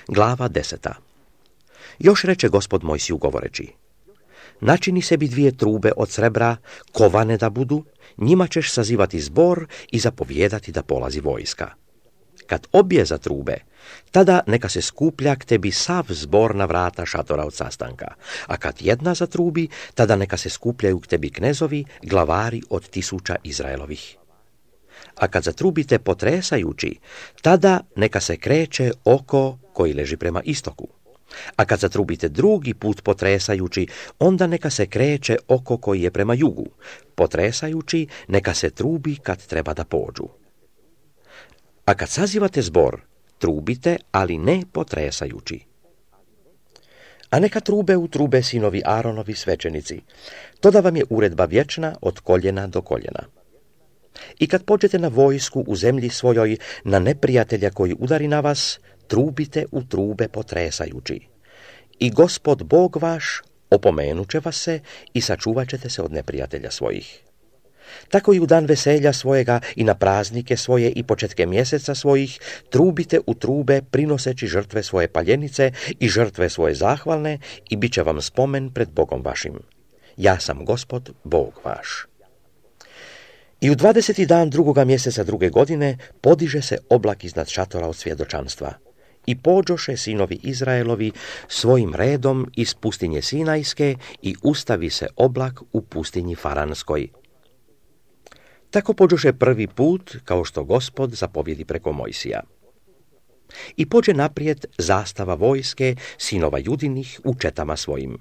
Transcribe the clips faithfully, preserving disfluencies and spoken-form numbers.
Glava deseta. Još reče Gospod Mojsiju govoreći: načini sebi dvije trube od srebra, kovane da budu, njima ćeš sazivati zbor i zapovijedati da polazi vojska. Kad obje za trube, tada neka se skuplja k tebi sav zbor na vrata šatora od sastanka, a kad jedna zatrubi, tada neka se skupljaju k tebi knezovi, glavari od tisuća Izraelovih. A kad zatrubite potresajući, tada neka se kreće oko koji leži prema istoku. A kad zatrubite drugi put potresajući, onda neka se kreće oko koji je prema jugu. Potresajući, neka se trubi kad treba da pođu. A kad sazivate zbor, trubite, ali ne potresajući. A neka trube u trube sinovi Aronovi svećenici. To da vam je uredba vječna od koljena do koljena. I kad pođete na vojsku u zemlji svojoj, na neprijatelja koji udari na vas, trubite u trube potresajući. I Gospod Bog vaš opomenut će vas se i sačuvat ćete se od neprijatelja svojih. Tako i u dan veselja svojega i na praznike svoje i početke mjeseca svojih trubite u trube prinoseći žrtve svoje paljenice i žrtve svoje zahvalne i bit će vam spomen pred Bogom vašim. Ja sam Gospod Bog vaš. I u dvadeseti dan drugoga mjeseca druge godine podiže se oblak iznad šatora od svjedočanstva. I pođoše sinovi Izraelovi svojim redom iz pustinje Sinajske i ustavi se oblak u pustinji Faranskoj. Tako pođoše prvi put, kao što Gospod zapovjedi preko Mojsija. I pođe naprijed zastava vojske sinova Judinih u četama svojim.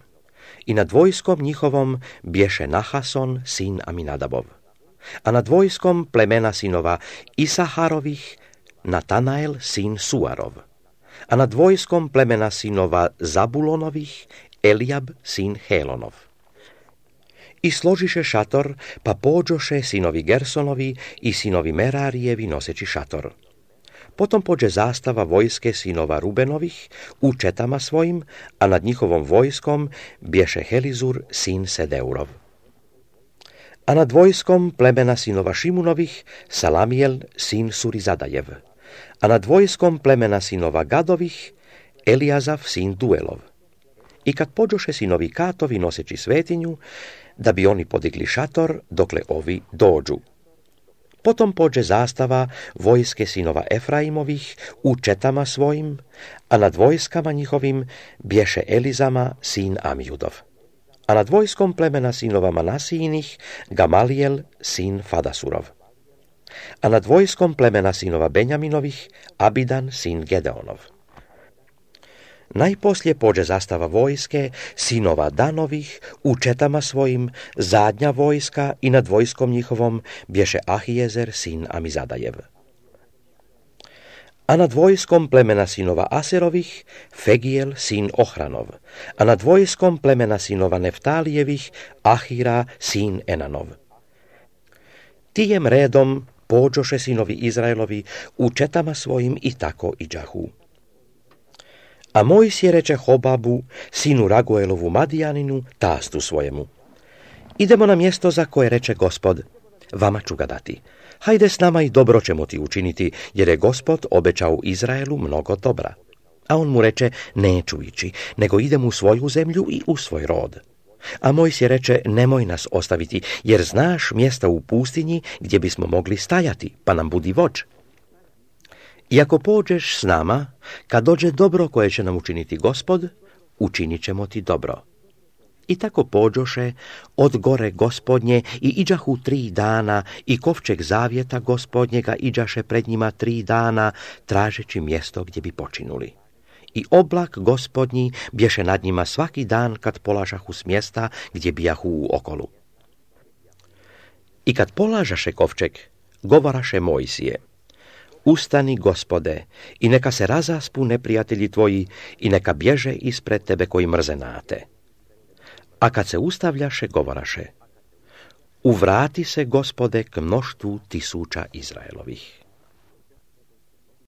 I nad vojskom njihovom bješe Nahason, sin Aminadabov. A nad vojskom plemena sinova Isaharovih Natanael, sin Suarov. A nad vojskom plemena sinova Zabulonovih Elijab, sin Helonov. I složiše šator, pa pođoše sinovi Gersonovi i sinovi Merarijevi noseći šator. Potom pođe zastava vojske sinova Rubenovih u četama svojim, a nad njihovom vojskom bješe Helizur, sin Sedeurov. A nad vojskom plemena sinova Šimunovih Salamijel, sin Surizadajev. A nad vojskom plemena sinova Gadovih Elijazav, sin Duelov. I kad pođoše sinovi Katovi noseći svetinju, da bi oni podigli šator dokle ovi dođu. Potom pođe zastava vojske sinova Efraimovih u četama svojim, a nad vojskama njihovim bješe Elizama, sin Amijudov. A nad vojskom plemena sinova Manasijinih Gamalijel, sin Fadasurov. A nad vojskom plemena sinova Benjaminovih Abidan, sin Gedeonov. Najposlije pođe zastava vojske sinova Danovih u četama svojim, zadnja vojska i nad vojskom njihovom bješe Ahijezer, sin Amizadajev. A nad vojskom plemena sinova Aserovih Fegijel, sin Ohranov. A nad vojskom plemena sinova Neftalijevih Ahira, sin Enanov. Tijem redom pođoše sinovi Izraelovi u četama svojim i tako iđahu. A Mojsije reče Hobabu, sinu Raguelovu Madijaninu, tastu svojemu: idemo na mjesto za koje reče Gospod, vama ću ga dati. Hajde s nama i dobro ćemo ti učiniti, jer je Gospod obećao Izraelu mnogo dobra. A on mu reče: neću ići, nego idem u svoju zemlju i u svoj rod. A Mojsije reče: nemoj nas ostaviti, jer znaš mjesta u pustinji gdje bismo mogli stajati, pa nam budi vođ. I ako pođeš s nama, kad dođe dobro koje će nam učiniti Gospod, učinit ćemo ti dobro. I tako pođoše od gore Gospodnje i iđahu tri dana i kovčeg zavjeta Gospodnjega iđaše pred njima tri dana, tražeći mjesto gdje bi počinuli. I oblak Gospodnji bješe nad njima svaki dan kad polažahu s mjesta gdje bijahu u okolu. I kad polažaše kovčeg, govoraše Mojsije: ustani, Gospode, i neka se razaspu neprijatelji tvoji i neka bježe ispred tebe koji mrze nate. A kad se ustavljaše, govoraše: uvrati se, Gospode, k mnoštvu tisuća Izraelovih.